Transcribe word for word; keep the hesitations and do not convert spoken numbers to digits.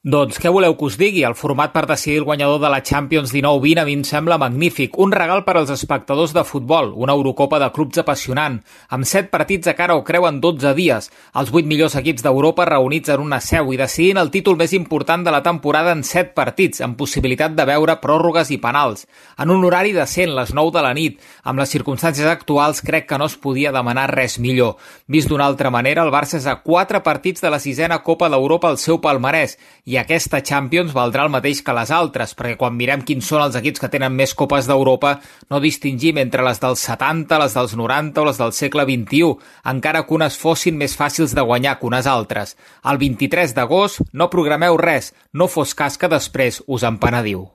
Doncs què voleu que us digui? El format per decidir el guanyador de la Champions dinou vint a mi em sembla magnífic. Un regal per als espectadors de futbol, una Eurocopa de clubs apassionant, amb set partits a cara o creu en dotze dies, els vuit millors equips d'Europa reunits en una seu i decidint el títol més important de la temporada en set partits, amb possibilitat de veure pròrrogues i penals. En un horari decent, les nou de la nit, amb les circumstàncies actuals crec que no es podia demanar res millor. Vist d'una altra manera, el Barça és a quatre partits de la sisena Copa d'Europa al seu palmarès, i aquesta Champions valdrà el mateix que les altres, perquè quan mirem quins són els equips que tenen més Copes d'Europa, no distingim entre les dels setanta, les dels noranta o les del segle vint-i-u, encara que unes fossin més fàcils de guanyar que unes altres. El vint-i-tres d'agost no programeu res, no fos cas que després us en penediu.